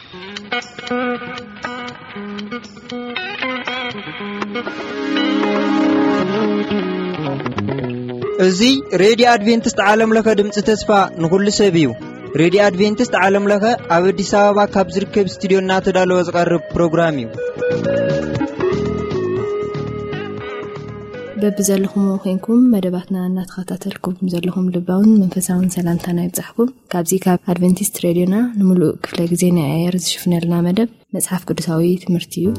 እዚ ሬድዮ ኣድቬንቲስት ዓለም ለኸ ድምፂ ተስፋ ንኹሉ ሰብ እዩ። ሬድዮ ኣድቬንቲስት ዓለም ለኸ ኣብ ኣዲስ ኣበባ ካብ ዝርከብ ስቱዲዮ እናተዳለወ ዝቐርብ ፕሮግራም እዩ። በብዘለኹም ኮይንኩም መደባትና እናተኸታተልኩም ዘለኹም ልባውን መንፈሳውን ሰላምታና ይብጻሕኩም። ካብዚ ካብ ኣድቨንቲስት ሬድዮና ንምሉእ ክፍለ ግዜ ናይ ኣየር ዝሽፍነልና መደብ መጽሓፍ ቅዱሳዊ ትምህርቲ እዩ።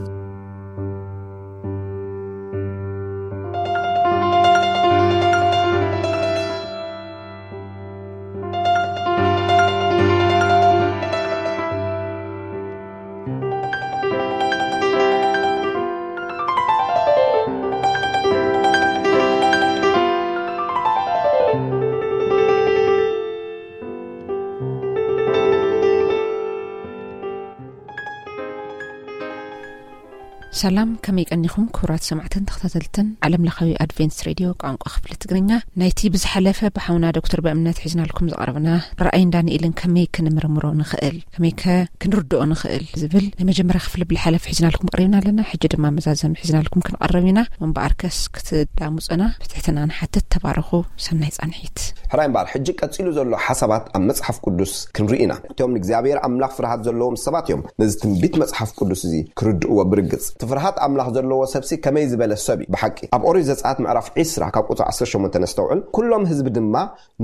ሰላም፣ ከመይ ቀኒኹም ክቡራት ሰማዕትን ተኸታተልትን ዓለም ለኻዊ ኣድቬንትስ ሬድዮ ቋንቋ ክፍሊ ትግርኛ? ናይቲ ብዝሓለፈ ብሓውና ዶክተር በእምነት ሒዝናልኩም ዝቐረብና ራእይን ዳንኤልን ከመይ ክንምርምሮ ንኽእል፣ ከመይከ ክንርድኦ ንኽእል ዝብል ናይ መጀመርያ ክፍሊ ብዝሓለፈ ሒዝናልኩም ቀሪብና ኣለና። ሕጂ ድማ መዛዘሚ ሒዝናልኩም ክንቐርብ ኢና። እምበኣርከስ ክትዳሙፀና ብትሕትና ንሓትት። ተባረኹ። ሰናይ ጻንሒት። ሕራይ እምበኣር፣ ሕጂ ቀጺሉ ዘሎ ሓሳባት ኣብ መጽሓፍ ቅዱስ ክንርኢ ኢና። እቶም ንእግዚኣብሔር ኣምላኽ ፍርሃት ዘለዎም ሰባት እዮም ነዚ ትንቢት መጽሓፍ ቅዱስ እዚ ክርድእዎ ብርግጽ። እቲ ፍርሃት ኣምላኽ ዘለዎ ሰብሲ ከመይ ዝበለ ሰብ እዩ ብሓቂ? ኣብ ኦሪት ዘጸኣት ምዕራፍ ዕስራ ካብ ቁጽሪ ዓሰርተ ሸሞንተ ነስተውዕል። "ኩሎም ህዝቢ ድማ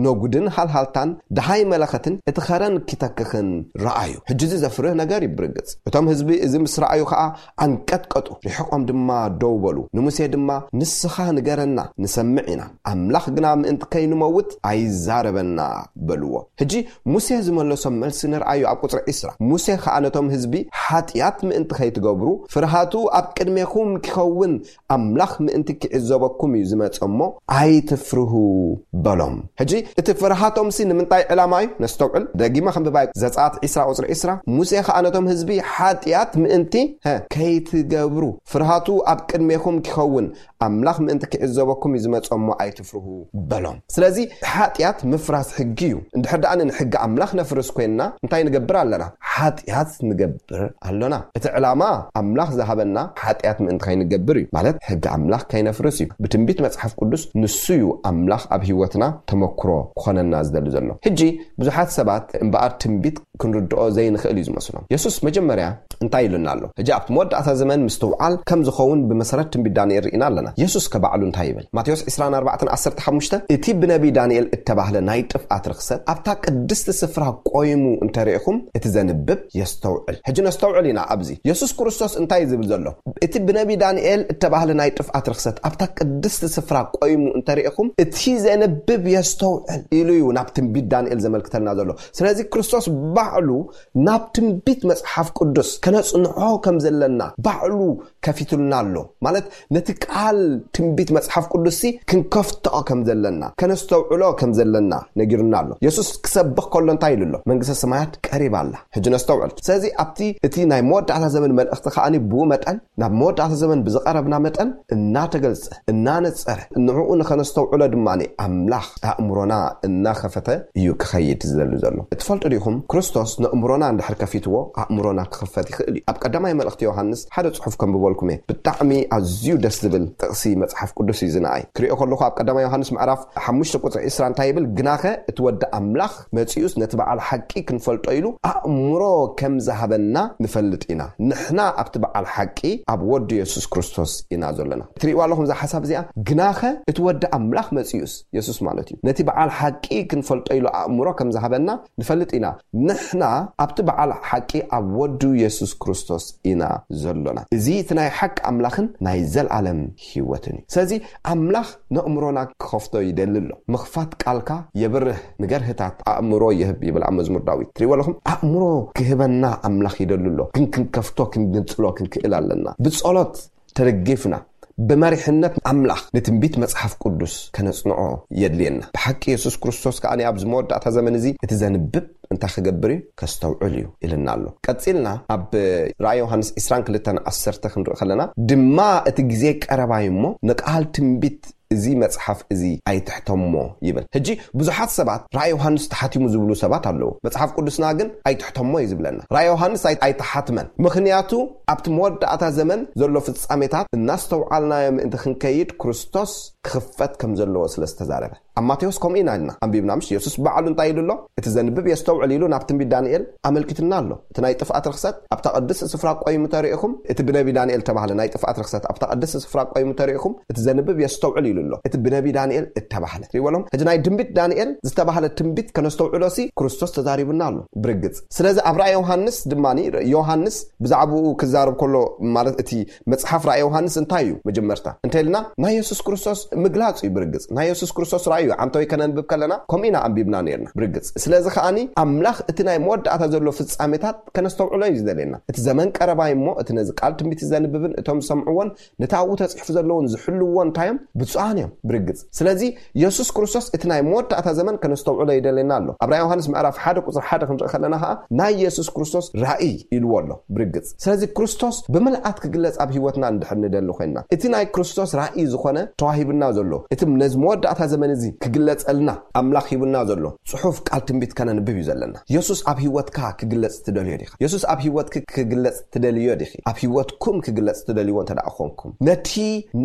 ነጉድን ሃልሃልታን ደሃይ መለኸትን እቲ ኸረን ኪተክኽን ረኣዩ።" ሕጂ እዚ ዘፍርህ ነገር እዩ ብርግጽ። እቶም ህዝቢ እዚ ምስ ረኣዩ ኸኣ ኣንቀጥቀጡ፣ ርሒቖም ድማ ደው በሉ። ንሙሴ ድማ፣ "ንስኻ ንገረና፣ ንሰምዕ ኢና። ኣምላኽ ግና ምእንቲ ከይንመውት ኣይዛረበና" በልዎ። ሕጂ ሙሴ ዝመለሶም መልሲ ንርኣዩ ኣብ ቁጽሪ ዕስራ። ሙሴ ኸኣ ነቶም ህዝቢ፣ "ሓጢኣት ምእንቲ ከይትገብሩ፣ ፍርሃቱ ኣብ ቅድሜኹም ኪኸውን፣ ኣምላኽ ምእንቲ ኪዕዘበኩም እዩ ዝመጸ እሞ፣ ኣይትፍርሁ" በሎም። ሕጂ እቲ ፍርሃቶምሲ ንምንታይ ዕላማ እዩ? ነስተውዕል። ደጊመ ከንብባ። ዘጸኣት ዕስራ ቁጽሪ ዕስራ። ሙሴ ኸኣ ነቶም ህዝቢ፣ "ሓጢኣት ምእንቲ፣ ሀ፣ ከይትገብሩ፣ ፍርሃቱ ኣብ ቅድሜኹም ኪኸውን፣ ኣምላኽ ምእንቲ ኪዕዘበኩም እዩ ዝመጸ እሞ ኣይትፍርሁ" በሎም። ስለዚ ሓጢኣት ምፍራስ ሕጊ እዩ። እንድሕር ደኣ ንሕጊ ኣምላኽ ነፍርስ ኮይንና እንታይ ንገብር ኣለና? ሓጢኣት ንገብር ኣሎና። እቲ ዕላማ ኣምላኽ ዝሃበና ሓጢኣት ምእንቲ ከይንገብር እዩ። ማለት ሕጊ ኣምላኽ ከይነፍርስ እዩ። ብትንቢት መጽሓፍ ቅዱስ ንሱ እዩ ኣምላኽ ኣብ ህይወትና ተመክሮ ክኾነና ዝደሊ ዘሎ። ሕጂ ብዙሓት ሰባት እምበኣር ትንቢት ክንርድኦ ዘይንኽእል እዩ ዝመስሎም። የሱስ መጀመርያ እንታይ ኢሉና ኣሎ? ሕጂ ኣብቲ መወዳእታ ዘመን ምስትውዓል ከም ዝኸውን ብመሰረት ትንቢት ዳንኤል ርኢና ኣለና። የሱስ ከባዕሉ እንታይ ይብል? ማቴዎስ ዕስራን ኣርባዕተን ዓሰርተ ሓሙሽተ፣ "እቲ ብነቢ ዳንኤል እተባህለ ናይ ጥፍኣት ርኽሰት ኣብታ ቅድስቲ ስፍራ ቆይሙ እንተርኢኹም፣ እቲ ዘንብብ የስተውዕል።" ሕጂ ነስተውዕል ኢና ኣብዚ። የሱስ ክርስቶስ እንታይ እዩ ዝብል ዘሎ? "እቲ ብነቢ ዳንኤል እተባህለ ናይ ጥፍኣት ርኽሰት ኣብታ ቅድስቲ ስፍራ ቆይሙ እንተርኢኹም፣ እቲ ዘንብብ የስተውዕል" ኢሉ እዩ ናብ ትንቢት ዳንኤል ዘመልክተልና ዘሎ። ስለዚ ክርስቶስ ባዕሉ ናብ ትንቢት መጽሓፍ ቅዱስ ከነጽንዖ ከም ዘለና ባዕሉ ከፊቱልና ኣሎ። ማለት ነቲ ቃል ትንቢት መጽሓፍ ቅዱስሲ ክንከፍትኦ ከም ዘለና፣ ከነስተውዕሎ ከም ዘለና ነጊሩና ኣሎ። የሱስ ክሰብኽ ከሎ እንታይ ኢሉ ኣሎ? "መንግስተ ሰማያት ቀሪባ ኣላ።" ሕጂ ነስተውዕል። ስለዚ ኣብቲ እቲ ናይ መወዳእታ ዘመን መልእኽቲ ከኣ ብኡ መጠን ናብ መወዳእታ ዘመን ብዝቐረብና መጠን እናተገልጸ፣ እናነጸረ፣ ንዕኡ ንኸነስተውዕሎ ድማ ኣምላኽ ኣእምሮና እናኸፈተ እዩ ክኸይድ ዝደሊ ዘሎ። ትፈልጡ ዲኹም? ክርስቶስ ነእምሮና እንድሕር ከፊትዎ፣ ኣእምሮና ክኽፈት ይኽእል እዩ። ኣብ ቀዳማይ መልእኽቲ ዮሃንስ ሓደ ጽሑፍ ከንብበልኩም እየ። ብጣዕሚ ኣዝዩ ደስ ዝብል ጥቕሲ መጽሓፍ ቅዱስ እዩ ዝነኣይ። ክሪኦ ከለኹ ኣብ ቀዳማይ ዮሃንስ ምዕራፍ ሓሙሽተ ቁጽሪ ዕስራ እንታይ ይብል? "ግናኸ እቲ ወዲ ኣምላኽ መጺኡስ ነቲ በዓል ሓቂ ክንፈልጦ ኢሉ ኣእምሮ ከም ዝሃበና ንፈልጥ ኢና። ንሕና ኣብቲ በዓል ሓቂ ኣብ ወዱ የሱስ ክርስቶስ ኢና ዘለና።" ትርእይዋ ኣለኹም እዛ ሓሳብ እዚኣ? "ግናኸ እቲ ወዲ ኣምላኽ መጺኡስ"፣ የሱስ ማለት እዩ፣ "ነቲ በዓል ሓቂ ክንፈልጦ ኢሉ ኣእምሮ ከም ዝሃበና ንፈልጥ ኢና። ንሕና ኣብቲ በዓል ሓቂ ኣብ ወዱ የሱስ ክርስቶስ ኢና ዘሎና። እዚ እቲ ናይ ሓቂ ኣምላኽን ናይ ዘለኣለም ህይወትን እዩ።" ስለዚ ኣምላኽ ነእምሮና ክኸፍቶ ይደሊ ኣሎ። ምኽፋት ቃልካ የብርህ፣ ንገርህታት ኣእምሮ ይህብ ይብል ኣብ መዝሙር ዳዊት። ትሪእዎ ኣለኹም? ኣእምሮ ክህበና ኣምላኽ ይደሊ ኣሎ፣ ግን ክንከፍቶ፣ ክንግንጽሎ ክንክእል ኣለና። ብጸሎት ተደጊፍና፣ ብመሪሕነት ኣምላኽ ንትንቢት መጽሓፍ ቅዱስ ከነጽንዖ የድልየና። ብሓቂ የሱስ ክርስቶስ ከኣ ኣብዚ መወዳእታ ዘመን እዚ እቲ ዘንብብ እንታይ ክገብር እዩ? ከስተውዕል እዩ ኢልና ኣሎ። ቀጺልና ኣብ ራእይ ዮሃንስ ዕስራን ክልተን ዓሰርተ ክንርኢ ከለና ድማ፣ "እቲ ግዜ ቀረባ እዩ እሞ ንቃል ትንቢት እዚ መጽሓፍ እዚ ኣይትሕተሞ ይብል። ሕጂ ብዙሓት ሰባት ራእይ ዮሃንስ ተሓቲሙ ዝብሉ ሰባት ኣለዉ። መጽሓፍ ቅዱስና ግን ኣይትሕተሞ እዩ ዝብለና። ራእይ ዮሃንስ ኣይ- ኣይተሓትመን። ምኽንያቱ ኣብቲ መወዳእታ ዘመን ዘሎ ፍጻሜታት እናስተውዓልናዮ ምእንቲ ክንከይድ ክርስቶስ ክኽፈት ከም ዘለዎ ስለ ዝተዛረበ። ኣብ ማቴዎስ ከምኡ ኢና ኢልና ኣንቢብና፣ ምሽ? የሱስ ባዕሉ እንታይ ኢሉ ኣሎ? "እቲ ዘንብብ የስተውዕል" ኢሉ ናብ ትንቢት ዳንኤል ኣመልኪትና ኣሎ። እቲ ናይ ጥፍኣት ርኽሰት ኣብታ ቅድስቲ ስፍራ ቆይሙ ተሪእኹም፣ እቲ ብነቢ ዳንኤል ተባህለ ናይ ጥፍኣት ርኽሰት ኣብታ ቅድስቲ ስፍራ ቆይሙ ተሪእኹም፣ እቲ ዘንብብ የስተውዕል ኢሉ ኣሎ። እቲ ብነቢ ዳንኤል እተባህለ። ሪወሎም፣ ሕጂ ናይ ትንቢት ዳንኤል ዝተባህለ ትንቢት ከነስተውዕሎ ሲ ክርስቶስ ተዛሪቡና ኣሎ ብርግጽ። ስለዚ ኣብ ራእይ ዮሃንስ ድማ፣ ዮሃንስ ብዛዕባኡ ክዛረብ ከሎ፣ ማለት እቲ መጽሓፍ ራእይ ዮሃንስ እንታይ እዩ? መጀመርታ እንተ ኢልና ናይ የሱስ ክርስቶስ ምግላጽ እዩ ብርግጽ። ናይ የሱስ ክርስቶስ ራእይ እዩ። ዓንተወይ ከነንብብ ከለና ከምኡ ኢና ኣንቢብና ነርና ብርግጽ። ስለዚ ከኣኒ ኣምላኽ እቲ ናይ መወዳእታ ዘሎ ፍጻሜታት ከነስተውዕሎ እዩ ዝደልየና። "እቲ ዘመን ቀረባይ እሞ እቲ ነዚ ቃል ትንቢት ዘንብብን እቶም ዝሰምዕዎን ነቲ ኣብኡ ተጽሒፉ ዘለውን ዝሕልዎ እንታይ እዮም? ብፁዓን እዮም" ብርግጽ። ስለዚ የሱስ ክርስቶስ እቲ ናይ መወዳእታ ዘመን ከነስተውዕሎ ይደልየና ኣሎ። ኣብ ራእይ ዮሃንስ ምዕራፍ ሓደ ቁጽሪ ሓደ ክንርኢ ከለና ከኣ ናይ የሱስ ክርስቶስ ራእይ ኢልዎ ኣሎ ብርግጽ። ስለዚ ክርስቶስ ብምልኣት ክግለጽ ኣብ ህይወትና እንድሕር ንደሊ ኮይንና፣ እቲ ናይ ክርስቶስ ራእይ ዝኾነ ተዋሂብና ዘሎ፣ እቲ ነዚ መወዳእታ ዘመን እዚ ክግለጸልና ኣምላኽ ሂቡና ዘሎ ጽሑፍ ቃል ትንቢት ከነንብብ እዩ ዘለና። የሱስ ኣብ ህይወትካ ክግለጽ ትደልዮ ዲኻ? የሱስ ኣብ ህይወትኪ ክግለጽ ትደልዮ ዲኺ? ኣብ ህይወትኩም ክግለጽ ትደልይዎ እንተ ደኣ ኾንኩም፣ ነቲ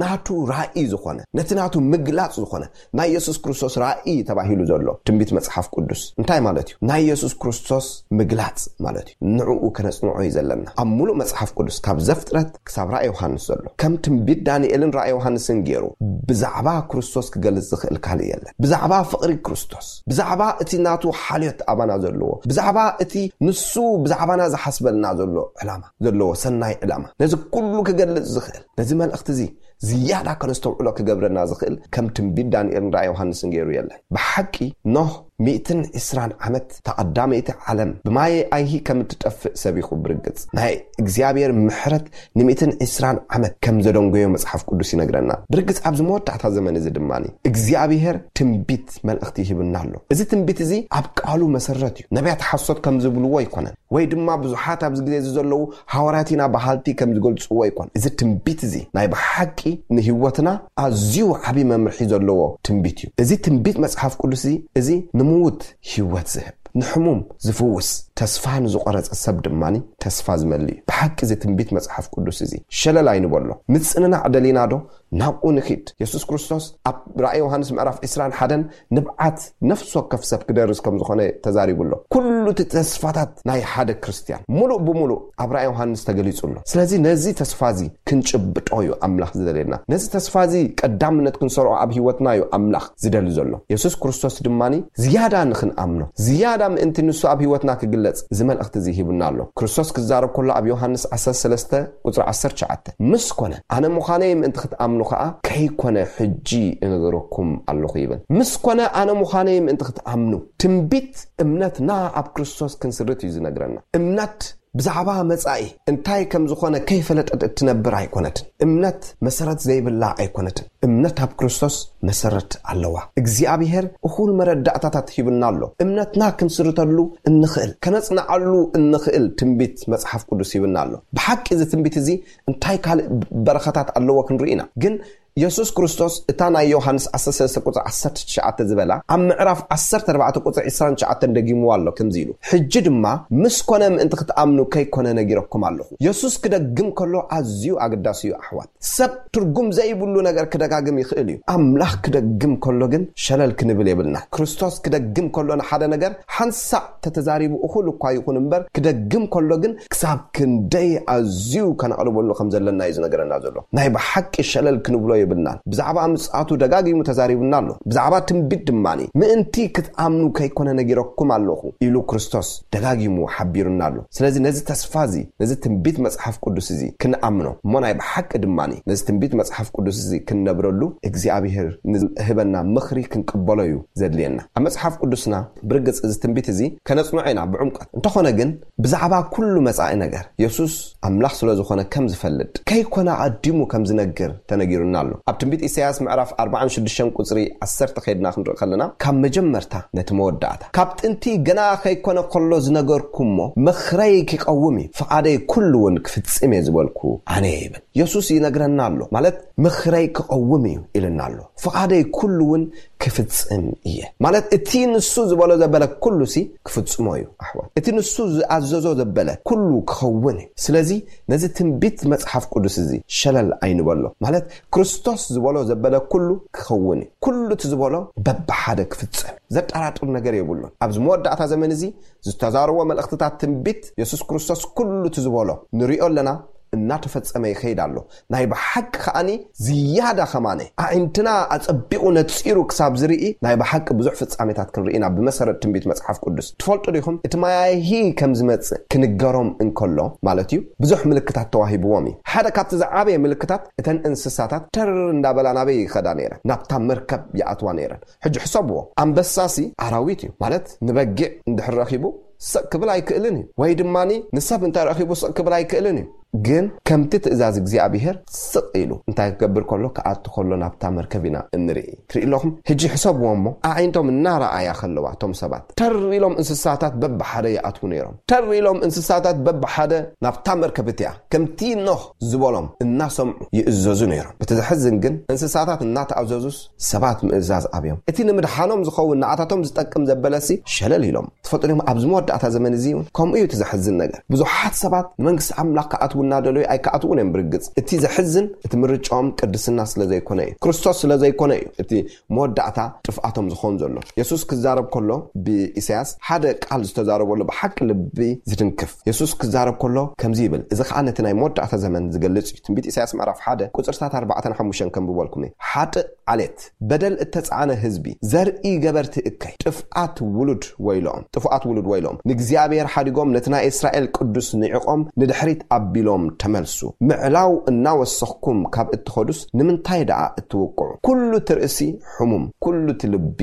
ናቱ ራእይ ዝኾነ፣ ነቲ ናቱ ምግላጽ ዝኾነ ናይ የሱስ ክርስቶስ ራእይ ተባሂሉ ዘሎ ትንቢት መጽሓፍ ቅዱስ እንታይ ማለት እዩ? ናይ የሱስ ክርስቶስ ምግላጽ ማለት እዩ። ንዕኡ ከነጽንዖ እዩ ዘለና። ኣብ ሙሉእ መጽሓፍ ቅዱስ ካብ ዘፍጥረት ክሳብ ራእይ ዮሃንስ ዘሎ፣ ከም ትንቢት ዳንኤልን ራእይ ዮሃንስን ገይሩ ብዛዕባ ክርስቶስ ክገልጽ ዝኽእል ካልእ የለን። ብዛዕባ ፍቕሪ ክርስቶስ፣ ብዛዕባ እቲ ናቱ ሓልዮት ኣባና ዘለዎ፣ ብዛዕባ እቲ ንሱ ብዛዕባና ዝሓስበልና ዘሎ ዕላማ፣ ዘለዎ ሰናይ ዕላማ፣ ነዚ ኩሉ ክገልጽ ዝኽእል፣ ነዚ መልእኽቲ እዚ ዝያዳ ከነስተውዕሎ ክገብረና ዝኽእል ከም ትንቢት ዳንኤልን ራእይ ዮሃንስን ገይሩ የለን። ብሓቂ ኖህ ሚእትን ዕስራን ዓመት፣ እታ ቀዳመይቲ ዓለም ብማየ ኣይሂ ከም እትጠፍእ ሰቢኹ ብርግጽ። ናይ እግዚኣብሔር ምሕረት ንሚእትን ዕስራን ዓመት ከም ዘደንጎዮ መጽሓፍ ቅዱስ ይነግረና። ብርግጽ ኣብዚ መወዳእታ ዘመን እዚ ድማ እግዚኣብሔር ትንቢት መልእኽቲ ይህብና ኣሎ። እዚ ትንቢት እዚ ኣብ ቃሉ መሰረት እዩ። ነቢያት ሓሶት ከም ዝብልዎ ኣይኮነን፣ ወይ ድማ ብዙሓት ኣብዚ ግዜ እዚ ዘለዉ ሃዋርያት ኢና በሃልቲ ከም ዝገልጽዎ ኣይኮነን። እዚ ትንቢት እዚ ናይ ብሓቂ ንህይወትና ኣዝዩ ዓቢ መምርሒ ዘለዎ ትንቢት እዩ። እዚ ትንቢት መጽሓፍ ቅዱስ እዚ፣ እዚ ንምዉት ህይወት ዝህብ፣ ንሕሙም ዝፍውስ፣ ተስፋ ንዝቖረጸ ሰብ ድማ ተስፋ ዝመልእ እዩ። ብሓቂ እዚ ትንቢት መጽሓፍ ቅዱስ እዚ ሸለል ኣይንበሎ። ምጽንናዕ ደሊና ዶ? ናብኡ ንኺድ። የሱስ ክርስቶስ ኣብ ራእይ ዮሃንስ ምዕራፍ ዕስራን ሓደን ንብዓት ነፍሲ ወከፍ ሰብ ክደርስ ከም ዝኾነ ተዛሪቡ ኣሎ። ኩሉ እቲ ተስፋታት ናይ ሓደ ክርስትያን ሙሉእ ብሙሉእ ኣብ ራእይ ዮሃንስ ተገሊጹ ኣሎ። ስለዚ ነዚ ተስፋ እዚ ክንጭብጦ እዩ ኣምላኽ ዝደልየና። ነዚ ተስፋ እዚ ቀዳምነት ክንሰርዖ ኣብ ህይወትና እዩ ኣምላኽ ዝደሊ ዘሎ። የሱስ ክርስቶስ ድማ ዝያዳ ንኽንኣምኖ፣ ዝያዳ ምእንቲ ንሱ ኣብ ህይወትና ክግለጽ እዚ መልእኽቲ እዚ ሂቡና ኣሎ። ክርስቶስ ክዛረብ ከሎ ኣብ ዮሃንስ ዓሰርተ ሰለስተ ቁጽሪ ዓሰርተ ትሽዓተ፣ "ምስ ኮነ ኣነ ምዃነይ ምእንቲ ክትኣምኑ ከኣ ከይኮነ ሕጂ እነግረኩም ኣለኹ" ይብል። ምስ ኮነ ኣነ ምዃነይ ምእንቲ ክትኣምኑ። ትንቢት እምነትና ኣብ ክርስቶስ ክንስርት እዩ ዝነግረና። እምነት ብዛዕባ መጻኢ እንታይ ከም ዝኾነ ከይፈለጠት እትነብር ኣይኮነትን። እምነት መሰረት ዘይብላ ኣይኮነትን። እምነት ኣብ ክርስቶስ መሰረት ኣለዋ። እግዚኣብሔር እኹል መረዳእታታት ሂብና ኣሎ። እምነትና ክንስርተሉ እንኽእል፣ ከነጽንዓሉ እንኽእል ትንቢት መጽሓፍ ቅዱስ ሂብና ኣሎ። ብሓቂ እዚ ትንቢት እዚ እንታይ ካልእ በረኸታት ኣለዎ ክንርኢ ኢና። ግን የሱስ ክርስቶስ እታ ናይ ዮሃንስ ዓሰርተ ሰለስተ ቁጽሪ ዓሰርተ ትሽዓተ ዝበላ ኣብ ምዕራፍ ዓሰርተ ኣርባዕተ ቁጽሪ ዕስራን ትሽዓተን ደጊምዋ ኣሎ ከምዚ ኢሉ፣ "ሕጂ ድማ ምስ ኮነ ምእንቲ ክትኣምኑ ከይኮነ ነጊረኩም ኣለኹ።" የሱስ ክደግም ከሎ ኣዝዩ ኣገዳሲ እዩ ኣሕዋት። ሰብ ትርጉም ዘይብሉ ነገር ክደጋግም ይኽእል እዩ። ኣምላኽ ክደግም ከሎ ግን ሸለል ክንብል የብልና። ክርስቶስ ክደግም ከሎ ንሓደ ነገር ሓንሳእ ተተዛሪቡ እኹል እኳ ይኹን እምበር፣ ክደግም ከሎ ግን ክሳብ ክንደይ ኣዝዩ ከነቕርበሉ ከም ዘለና እዩ ዝነገረና ዘሎ። ናይ ብሓቂ ሸለል ክንብሎ የብልናን። ብዛዕባ ምጽኣቱ ደጋጊሙ ተዛሪቡና ኣሎ። ብዛዕባ ትንቢት ድማ፣ "ምእንቲ ክትኣምኑ ከይኮነ ነጊረኩም ኣለኹ" ኢሉ ክርስቶስ ደጋጊሙ ሓቢሩና ኣሎ። ስለዚ ነዚ ተስፋ እዚ፣ ነዚ ትንቢት መጽሓፍ ቅዱስ እዚ ክንኣምኖ እሞ ናይ ብሓቂ ድማ ነዚ ትንቢት መጽሓፍ ቅዱስ እዚ ክንነብረሉ እግዚኣብሔር ንህበና ምኽሪ ክንቅበሎ እዩ ዘድልየና። ኣብ መጽሓፍ ቅዱስና ብርግጽ እዚ ትንቢት እዚ ከነጽንዖ ኢና ብዕምቀት። እንተኾነ ግን ብዛዕባ ኩሉ መጻኢ ነገር የሱስ ኣምላኽ ስለ ዝኾነ ከም ዝፈልጥ፣ ከይኮነ ኣቐዲሙ ከም ዝነግር ተነጊሩና ኣሎ። ኣብ ትንቢት ኢሳያስ ምዕራፍ ኣርባዓን ሽዱሽተን ቁጽሪ ዓሰርተ ከይድና ክንርኢ ከለና፣ ካብ መጀመርታ ነቲ መወዳእታ፣ ካብ ጥንቲ ገና ከይኮነ ከሎ ዝነገርኩሞ፣ ምኽረይ ክቐውም እዩ፣ ፍቓደይ ኩሉ እውን ክፍጽም እየ ዝበልኩ ኣነ እየ ይብል። የሱስ ይነግረና ኣሎ። ማለት፣ ምኽረይ ክቐውም እዩ ኢልና ኣሎ። ፍቓደይ ኩሉ እውን ክፍጽም እየ። ማለት፣ እቲ ንሱ ዝበሎ ዘበለ ኩሉ ሲ ክፍጽሞ እዩ፣ ኣሕዋት። እቲ ንሱ ዝኣዘዞ ዘበለ ኩሉ ክኸውን እዩ። ስለዚ ነዚ ትንቢት መጽሓፍ ቅዱስ እዚ ሸለል ኣይንበሎ። ማለት፣ ክርስቶስ ዝበሎ ዘበለ ኩሉ ክኸውን እዩ። ኩሉ እቲ ዝበሎ በብሓደ ክፍጸም እዩ። ዘጠራጥር ነገር የብሉን። ኣብዚ መወዳእታ ዘመን እዚ ዝተዛረቦ መልእኽትታት ትንቢት የሱስ ክርስቶስ ኩሉ እቲ ዝበሎ ንሪኦ ኣለና፣ እናተፈጸመ ይኸይድ ኣሎ። ናይ ብሓቂ ከኣኒ ዝያዳ ከማነ ኣዒንትና ኣጸቢቑ ነጺሩ ክሳብ ዝርኢ ናይ ብሓቂ ብዙሕ ፍጻሜታት ክንርኢ ኢና ብመሰረት ትንቢት መጽሓፍ ቅዱስ። ትፈልጡ ዲኹም? እቲ መያይሂ ከም ዝመጽእ ክንገሮም እንከሎ ማለት እዩ፣ ብዙሕ ምልክታት ተዋሂብዎም እዩ። ሓደ ካብቲ ዝዓበየ ምልክታት እተን እንስሳታት ተር እንዳበላ ናበይ ይኸዳ ነይረን? ናብታ መርከብ ይኣትዋ ነይረን። ሕጂ ሕሰብዎ፣ ኣንበሳሲ ኣራዊት እዩ ማለት ንበጊዕ እንድሕር ረኺቡ ስቕ ክብል ኣይክእልን እዩ፣ ወይ ድማ ንሰብ እንታይ ረኺቡ ስቕ ክብል ኣይክእልን እዩ። ግን ከምቲ ትእዛዝ እግዚኣብሔር ስቕ ኢሉ እንታይ ክገብር ከሎ፣ ክኣቱ ከሎ ናብታ መርከብ ኢና እንርኢ። ትርኢ ኣለኹም? ሕጂ ሕሰብዎ እሞ፣ ኣዒንቶም እናረኣያ ከለዋ እቶም ሰባት ተር ኢሎም እንስሳታት በብሓደ ይኣትዉ ነይሮም። ተር ኢሎም እንስሳታት በብሓደ ናብታ መርከብ እቲኣ ከምቲ ኖህ ዝበሎም እናሰምዑ ይእዘዙ ነይሮም። እቲ ዘሕዝን ግን እንስሳታት እናተኣዘዙስ ሰባት ምእዛዝ ኣብዮም። እቲ ንምድሓኖም ዝኸውን ንዓታቶም ዝጠቅም ዘበለሲ ሸለል ኢሎም። ትፈልጡ ዲኹም? ኣብዚ መወዳእታ ዘመን እዚ እውን ከምኡ እዩ እቲ ዘሕዝን ነገር። ብዙሓት ሰባት ንመንግስቲ ኣምላኽ ክኣትዉ እናደለዩ ኣይክኣትዉን እዮም። ብርግጽ እቲ ዘሕዝን እቲ ምርጫኦም ቅድስና ስለ ዘይኮነ እዩ፣ ክርስቶስ ስለ ዘይኮነ እዩ እቲ መወዳእታ ጥፍኣቶም ዝኾን ዘሎ። የሱስ ክዛረብ ከሎ ብኢሳያስ ሓደ ቃል ዝተዛረበሉ ብሓቂ ልቢ ዝትንክፍ። የሱስ ክዛረብ ከሎ ከምዚ ይብል፣ እዚ ኸኣ ነቲ ናይ መወዳእታ ዘመን ዝገልጽ እዩ። ትንቢት ኢሳያስ ምዕራፍ ሓደ ቁጽርታት ኣርባዕተን ሓሙሽተን ከንብበልኩም እየ። ሓጥእ ዓሌት፣ በደል እተጻዕነ ህዝቢ፣ ዘርኢ ገበርቲ እከይ፣ ጥፍኣት ውሉድ ወይሎም፣ ጥፉኣት ውሉድ ወይሎም፣ ንእግዚኣብሔር ሓዲጎም ነቲ ናይ እስራኤል ቅዱስ ንዒቖም ንድሕሪት ኣቢሎም ተመልሱ። ምዕላው እናወሰኽኩም ካብ እትኸዱስ ንምንታይ ደኣ እትውቅዑ? ኩሉ እቲ ርእሲ ሕሙም፣ ኩሉ እቲ ልቢ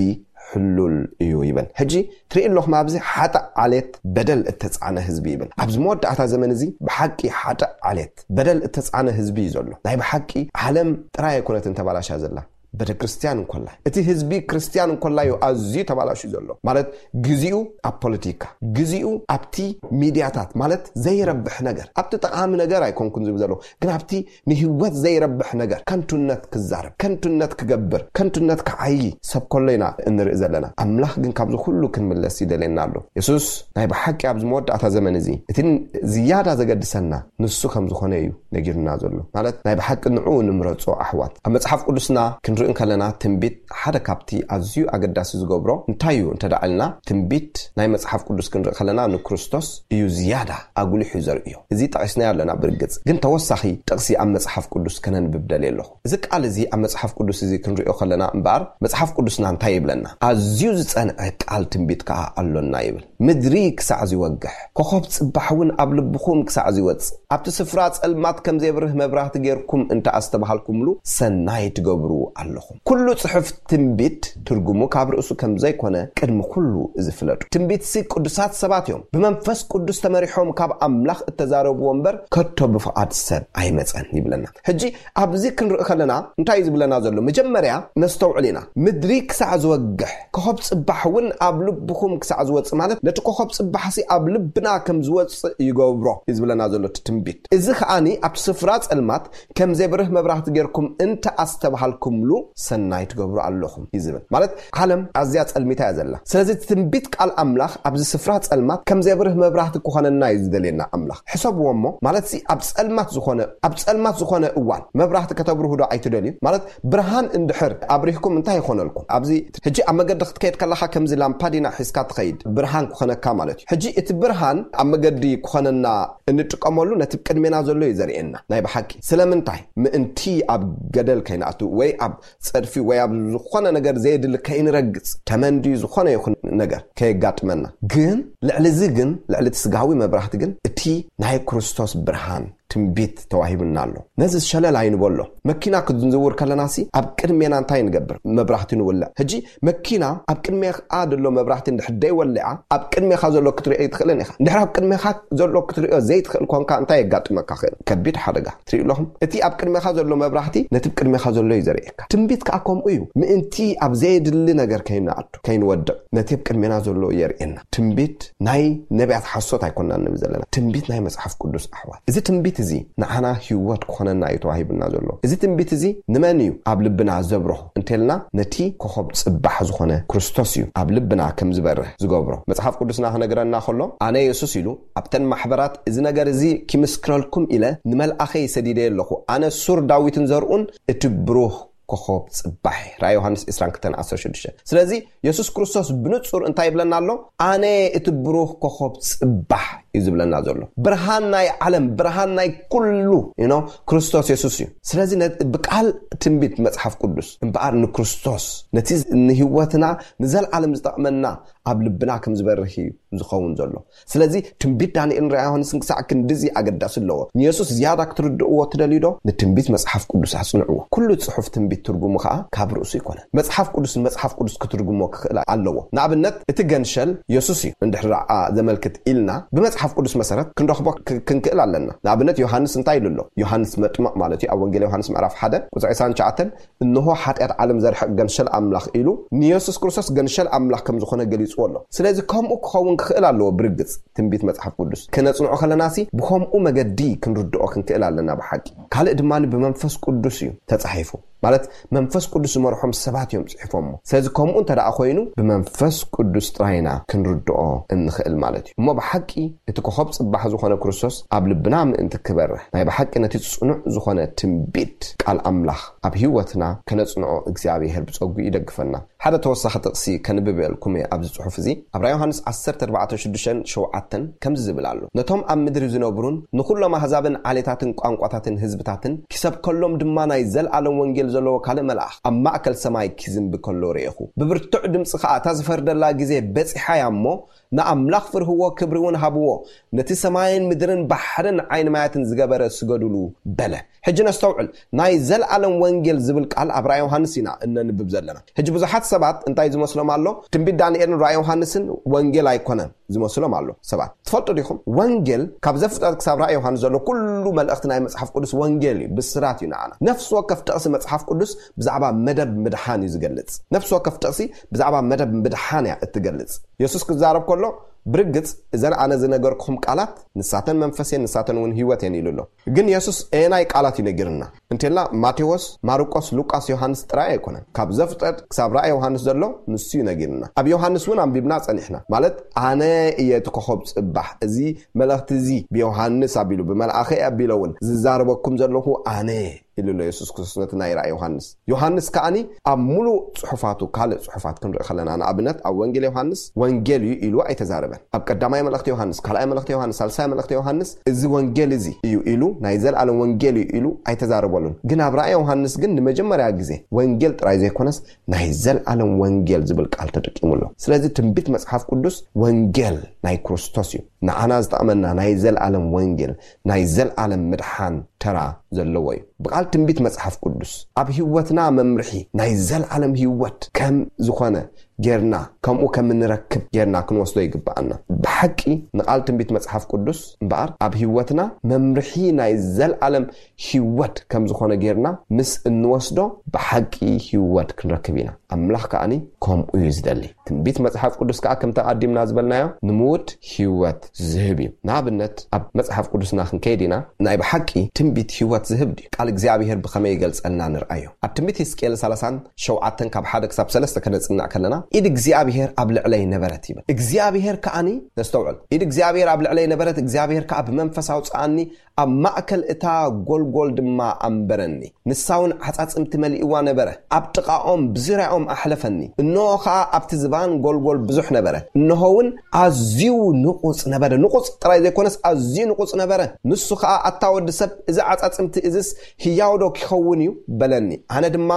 ሕሉል እዩ ይብል። ሕጂ ትርኢ ኣለኹም ኣብዚ ሓጥእ ዓሌት በደል እተጻዕነ ህዝቢ ይብል። ኣብዚ መወዳእታ ዘመን እዚ ብሓቂ ሓጥእ ዓሌት በደል እተጻዕነ ህዝቢ እዩ ዘሎ። ናይ ብሓቂ ዓለም ጥራይ ኣይኮነትን ተባላሻ ዘላ። ቤተ ክርስቲያን እንኮላ፣ እቲ ህዝቢ ክርስቲያን እንኮላ እዩ ኣዝዩ ተባላሹ ዘሎ። ማለት ግዜኡ ኣብ ፖለቲካ፣ ግዜኡ ኣብቲ ሚድያታት፣ ማለት ዘይረብሕ ነገር፣ ኣብቲ ጠቓሚ ነገር ኣይኮንኩን ዝብል ዘለኹ፣ ግን ኣብቲ ንህይወት ዘይረብሕ ነገር ከንቱነት ክዛረብ፣ ከንቱነት ክገብር፣ ከንቱነት ክዓዪ ሰብ ከሎ ኢና እንርኢ ዘለና። ኣምላኽ ግን ካብዚ ኩሉ ክንምለስ ይደልየና ኣሎ። የሱስ ናይ ብሓቂ ኣብዚ መወዳእታ ዘመን እዚ እቲ ዝያዳ ዘገድሰና ንሱ ከም ዝኾነ እዩ ነጊሩና ዘሎ። ማለት ናይ ብሓቂ ንዕኡ ንምረጾ ኣሕዋት። ኣብ መጽሓፍ ቅዱስና ክንርኢ እንከለና ትንቢት ሓደ ካብቲ ኣዝዩ ኣገዳሲ ዝገብሮ እንታይ እዩ እንተ ደኣ ኢልና፣ ትንቢት ናይ መጽሓፍ ቅዱስ ክንርኢ ከለና ንክርስቶስ እዩ ዝያዳ ኣጉሊሑ ዘርእዮ። እዚ ጠቒስናዮ ኣለና ብርግጽ፣ ግን ተወሳኺ ጥቕሲ ኣብ መጽሓፍ ቅዱስ ከነንብብ ደልየ ኣለኹ። እዚ ቃል እዚ ኣብ መጽሓፍ ቅዱስ እዚ ክንርእዮ ከለና እምበኣር መጽሓፍ ቅዱስና እንታይ ይብለና? ኣዝዩ ዝጸንዐ ቃል ትንቢት ከኣ ኣሎና ይብል። ምድሪ ክሳዕ ዝወግሕ፣ ኮኸብ ጽባሕ እውን ኣብ ልብኹም ክሳዕ ዝወጽእ፣ ኣብቲ ስፍራ ጸልማት ከም ዜብርህ መብራህቲ ጌርኩም እንተ ኣስተብሃልኩምሉ ሰናይ ትገብሩ ኣለኹም። ኩሉ ጽሑፍ ትንቢት ትርጉሙ ካብ ርእሱ ከም ዘይኮነ ቅድሚ ኩሉ እዚ ፍለጡ። ትንቢትሲ ቅዱሳት ሰባት እዮም፣ ብመንፈስ ቅዱስ ተመሪሖም ካብ ኣምላኽ እተዛረብዎ እምበር ከቶ ብፍቓድ ሰብ ኣይመጸን ይብለና። ሕጂ ኣብዚ ክንርኢ ከለና እንታይ እዩ ዝብለና ዘሎ? መጀመርያ ነስተውዕል ኢና። ምድሪ ክሳዕ ዝወግሕ፣ ኮኸብ ጽባሕ እውን ኣብ ልብኹም ክሳዕ ዝወጽእ፣ ማለት ነቲ ኮኸብ ጽባሕሲ ኣብ ልብና ከም ዝወጽእ ይገብሮ እዩ ዝብለና ዘሎ እቲ ትንቢት። እዚ ከኣኒ ኣብቲ ስፍራ ጸልማት ከም ዜብርህ መብራህቲ ጌርኩም እንተ ኣስተብሃልኩምሉ ሰናይ ትገብሩ ኣለኹም እዩ ዝብል። ማለት ዓለም ኣዝያ ጸልሚታ እያ ዘላ። ስለዚ እቲ ትንቢት ቃል ኣምላኽ ኣብዚ ስፍራ ጸልማት ከም ዜብርህ መብራህቲ ክኾነና እዩ ዝደልየና ኣምላኽ። ሕሰብዎ እሞ፣ ማለትሲ ኣብ ጸልማት ዝኾነ፣ ኣብ ጸልማት ዝኾነ እዋን መብራህቲ ከተብርሁ ዶ ኣይትደልዩ? ማለት ብርሃን እንድሕር ኣብሪህኩም እንታይ ይኾነልኩም? ኣብዚ ሕጂ ኣብ መገዲ ክትከይድ ከለኻ ከምዚ ላምፓዲና ሒዝካ ትኸይድ ብርሃን ክኾነካ ማለት እዩ። ሕጂ እቲ ብርሃን ኣብ መገዲ ክኾነና እንጥቀመሉ ነቲ ቅድሜና ዘሎ እዩ ዘርእየና። ናይ ብሓቂ ስለምንታይ? ምእንቲ ኣብ ገደል ከይንኣቱ ወይ ኣብ ጸድፊ ወይ ኣብ ዝኾነ ነገር ዘየድሊ ከይንረግጽ፣ ተመን ድዩ ዝኾነ ይኹን ነገር ከየጋጥመና። ግን ልዕሊ እዚ ግን፣ ልዕሊ እቲ ስጋዊ መብራህቲ ግን እቲ ናይ ክርስቶስ ብርሃን ትንቢት ተዋሂቡና ኣሎ። ነዚ ሸለል ኣይንበሎ። መኪና ክንዝውር ከለናሲ ኣብ ቅድሜና እንታይ ንገብር? መብራህቲ ንውልዕ። ሕጂ መኪና ኣብ ቅድሜኻ ዘሎ መብራህቲ እንድሕር ደይወልዓ፣ ኣብ ቅድሜኻ ዘሎ ክትሪኦ ኣይትኽእልን ኢኻ። እንድሕር ኣብ ቅድሜኻ ዘሎ ክትሪኦ ዘይትኽእል ኮንካ እንታይ የጋጥመካ ክእል? ከቢድ ሓደጋ። ትሪኡ ኣለኹም? እቲ ኣብ ቅድሜኻ ዘሎ መብራህቲ ነቲ ኣብ ቅድሜኻ ዘሎ እዩ ዘርእየካ። ትንቢት ከዓ ከምኡ እዩ። ምእንቲ ኣብ ዘየድሊ ነገር ከይንኣቱ፣ ከይንወድቕ፣ ነቲ ኣብ ቅድሜና ዘሎ የርእየና። ትንቢት ናይ ነቢያት ሓሶት ኣይኮንና ንብል ዘለና። ትንቢት ናይ መጽሓፍ ቅዱስ ኣሕዋት። እዚ ትንቢት እዚ ንዓና ህይወት ክኾነና እዩ ተዋሂቡና ዘሎ። እዚ ትንቢት እዚ ንመን እዩ ኣብ ልብና ዘብርሆ እንተልና፣ ነቲ ኮኸብ ጽባሕ ዝኾነ ክርስቶስ እዩ ኣብ ልብና ከም ዝበርህ ዝገብሮ። መጽሓፍ ቅዱስና ክነግረና ከሎ፣ ኣነ የሱስ ኢሉ ኣብተን ማሕበራት እዚ ነገር እዚ ኪምስክረልኩም ኢለ ንመልኣኸይ ሰዲደ ኣለኹ። ኣነ ሱር ዳዊትን ዘርኡን እቲ ብሩህ ኮኸብ ጽባሕ። ራእይ ዮሃንስ ዕስራን ክልተን ዓሰርተ ሽዱሽተ። ስለዚ የሱስ ክርስቶስ ብንጹር እንታይ ይብለና ኣሎ? ኣነ እቲ ብሩህ ኮኸብ ጽባሕ እዩ ዝብለና ዘሎ። ብርሃን ናይ ዓለም፣ ብርሃን ናይ ኩሉ፣ you know፣ ክርስቶስ የሱስ እዩ። ስለዚ ነ-፣ ብቃል ትንቢት መጽሓፍ ቅዱስ እምበኣር ንክርስቶስ፣ ነቲ ንህይወትና ንዘለዓለም ዝጠቕመና ኣብ ልብና ከም ዝበርህ እዩ ዝኸውን ዘሎ። ስለዚ ትንቢት ዳንኤልን ራእይ ዮሃንስን ክሳዕ ክንድዚ ኣገዳሲ ኣለዎ። ንየሱስ ዝያዳ ክትርድእዎ ትደልዩ ዶ? ንትንቢት መጽሓፍ ቅዱስ ኣጽንዕዎ። ኩሉ ጽሑፍ ትንቢት ትርጉሙ ከኣ ካብ ርእሱ ይኮነን። መጽሓፍ ቅዱስ ንመጽሓፍ ቅዱስ ክትርጉሞ ክኽእል ኣለዎ። ንኣብነት እቲ ገንሸል የሱስ እዩ እንድሕር ደኣ ዘመልክት ኢልና ብመጽሓፍ ቅዱስ መሰረት ክንረኽቦ ክ-፣ ክንክእል ኣለና። ንኣብነት ዮሃንስ እንታይ ኢሉ ኣሎ? ዮሃንስ መጥምቕ ማለት እዩ። ኣብ ወንጌል ዮሃንስ ምዕራፍ ሓደ ቁጽሪ ዕስራን ትሽዓተን፣ "እንሆ ሓጢኣት ዓለም ዘርሕቕ ገንሸል ኣምላኽ" ኢሉ ንየሱስ ክርስቶስ ገንሸል ኣምላኽ ከም ዝኾነ ገሊጽዎ ኣሎ። ስለዚ ከምኡ ክኸውን ክኽእል ኣለዎ። ብርግጽ ትንቢት መጽሓፍ ቅዱስ ክነጽንዖ ከለናሲ ብኸምኡ መገዲ ክንርድኦ ክንክእል ኣለና ብሓቂ። ካልእ ድማ ብመንፈስ ቅዱስ እዩ ተጻሒፉ። ማለት መንፈስ ቅዱስ ዝመርሖም ሰባት እዮም ጽሒፎሞ። ስለዚ ከምኡ እንተ ደኣ ኮይኑ ብመንፈስ ቅዱስ ጥራይና ክንርድኦ እንኽእል ማለት እዩ። እሞ ብሓቂ እቲ ኮኸብ ጽባሕ ዝኾነ ክርስቶስ ኣብ ልብና ምእንቲ ክበርህ፣ ናይ ብሓቂ ነቲ ጽኑዕ ዝኾነ ትንቢት ቃል ኣምላኽ ኣብ ህይወትና ከነጽንዖ እግዚኣብሔር ብጸጉ ይደግፈና። ሓደ ተወሳኺ ጥቕሲ ከንብብ እየ ኢልኩም እየ ኣብዚ ጽሑፍ እዚ። ኣብ ራእይ ዮሃንስ ዓሰርተ ኣርባዕተ ሽዱሽተን ሸውዓተን ከምዚ ዝብል ኣሎ። ነቶም ኣብ ምድሪ ዝነብሩን ንኹሎም ኣህዛብን ዓሌታትን ቋንቋታትን ህዝብታትን ኪሰብከሎም ድማ ናይ ዘለኣለም ወንጌል ዘለዎ ካልእ መልኣኽ ኣብ ማእከል ሰማይ ኪዝንቢ ከሎ ርኤኹ። ብብርቱዕ ድምጺ ኸኣ እታ ዝፈርደላ ግዜ በጺሓ እያ እሞ ንኣምላኽ ፍርህዎ፣ ክብሪ እውን ሃብዎ። ነቲ ሰማይን ምድርን ባሕርን ዓይኒ ማያትን ዝገበረ ስገዱሉ በለ። ሕጂ ነስተውዕል። ናይ ዘለኣለም ወንጌል ዝብል ቃል ኣብ ራእይ ዮሃንስ ኢና እነንብብ ዘለና። ሕጂ ብዙሓት ሰባት እንታይ ዝመስሎም ኣሎ? ትንቢት ዳንኤልን ራእይ ዮሃንስን ወንጌል ኣይኮነን ዝመስሎም ኣሎ ሰባት። ትፈልጡ ዲኹም? ወንጌል ካብ ዘፍጥረት ክሳብ ራእይ ዮሃንስ ዘሎ ኩሉ መልእኽቲ ናይ መጽሓፍ ቅዱስ ወንጌል እዩ፣ ብስራት እዩ ንዓና። ነፍሲ ወከፍ ጥቕሲ መጽሓፍ ቅዱስ ብዛዕባ መደብ ምድሓን እዩ ዝገልጽ። ነፍሲ ወከፍ ጥቕሲ ብዛዕባ መደብ ምድሓን እያ እትገልጽ። የሱስ ክዛረብ ከሎ ብርግጽ እዘን ኣነ ዝነገርኩኹም ቃላት ንሳተን መንፈስ እየን፣ ንሳተን እውን ህይወት እየን ኢሉ ኣሎ። ግን የሱስ ኣየናይ ቃላት እዩ ነጊርና እንተልና ማቴዎስ፣ ማርቆስ፣ ሉቃስ፣ ዮሃንስ ጥራይ ኣይኮነን። ካብ ዘፍጥረት ክሳብ ራእይ ዮሃንስ ዘሎ ንሱ እዩ ነጊርና። ኣብ ዮሃንስ እውን ኣንቢብና ጸኒሕና። ማለት ኣነ እየ እቲ ኮኸብ ጽባሕ፣ እዚ መልእኽቲ እዚ ብዮሃንስ ኣቢሉ ብመልኣኸይ ኣቢለ እውን ዝዛረበኩም ዘለኹ ኣነ እየ ኢሉ ኣሎ የሱስ ክርስቶስ ነቲ ናይ ራእይ ዮሃንስ። ዮሃንስ ከኣኒ ኣብ ሙሉእ ጽሑፋቱ፣ ካልእ ጽሑፋት ክንርኢ ከለና፣ ንኣብነት ኣብ ወንጌል ዮሃንስ ወንጌል እዩ ኢሉ ኣይተዛረበን። ኣብ ቀዳማይ መልእኽቲ ዮሃንስ፣ ካልኣይ መልእኽቲ ዮሃንስ፣ ሳልሳይ መልእኽቲ ዮሃንስ እዚ ወንጌል እዚ እዩ ኢሉ፣ ናይ ዘለኣለም ወንጌል እዩ ኢሉ ኣይተዛረበሉን። ግን ኣብ ራእይ ዮሃንስ ግን ንመጀመርያ ግዜ ወንጌል ጥራይ ዘይኮነስ ናይ ዘለኣለም ወንጌል ዝብል ቃል ተጠቂሙ ኣሎ። ስለዚ ትንቢት መጽሓፍ ቅዱስ ወንጌል ናይ ክርስቶስ እዩ። ንዓና ዝጠቕመና ናይ ዘለኣለም ወንጌል፣ ናይ ዘለኣለም ምድሓን ተራ ዘለዎ እዩ። ብቃል ትንቢት መጽሓፍ ቅዱስ ኣብ ህይወትና መምርሒ ናይ ዘለኣለም ህይወት ከም ዝኾነ ጌርና፣ ከምኡ ከም እንረክብ ጌርና ክንወስዶ ይግብኣና። ብሓቂ ንቃል ትንቢት መጽሓፍ ቅዱስ እምበኣር ኣብ ህይወትና መምርሒ ናይ ዘለኣለም ህይወት ከም ዝኾነ ጌርና ምስ እንወስዶ ብሓቂ ህይወት ክንረክብ ኢና። ኣምላኽ ከኣኒ ከምኡ እዩ ዝደሊ። ትንቢት መጽሓፍ ቅዱስ ከኣ ከምቲ ኣቀዲምና ዝበልናዮ ንምዉት ህይወት ዝህብ እዩ። ንኣብነት ኣብ መጽሓፍ ቅዱስና ክንከይድ ኢና። ናይ ብሓቂ ትንቢት ህይወት ዝህብ ድዩ? ቃል እግዚኣብሔር ብኸመይ ይገልጸልና ንርኣዮ። ኣብ ትንቢት ሕዝቅኤል ሰላሳን ሸውዓተን ካብ ሓደ ክሳብ ሰለስተ ከነጽንዕ ከለና፣ "ኢድ እግዚኣብሔር ኣብ ልዕለይ ነበረት" ይብል። እግዚኣብሔር ከኣኒ፣ ነስተውዕል፣ "ኢድ እግዚኣብሔር ኣብ ልዕለይ ነበረት፣ እግዚኣብሔር ከኣ ብመንፈስ ኣውጽኣኒ፣ ኣብ ማእከል እታ ጎልጎል ድማ ኣንበረኒ። ንሳ እውን ዓጻጽምቲ መሊእዋ ነበረ፣ ኣብ ጥቓኦም ብዙርያኦም ኣሕለፈኒ። እንሆ ኸኣ ኣብቲ ዝባን ጎልጎል ብዙሕ ነበረ፣ እንሆ እውን ኣዝዩ ንቑጽ ነበረ። ንቑጽ ጥራይ ዘይኮነስ ኣዝዩ ንቑጽ ነበረ። ንሱ ኸኣ ኣታ ወዲ ሰብ፣ እዚ ዓጻጽምቲ እዝስ ህያው ዶ ኪኸውን እዩ? በለኒ። ኣነ ድማ፣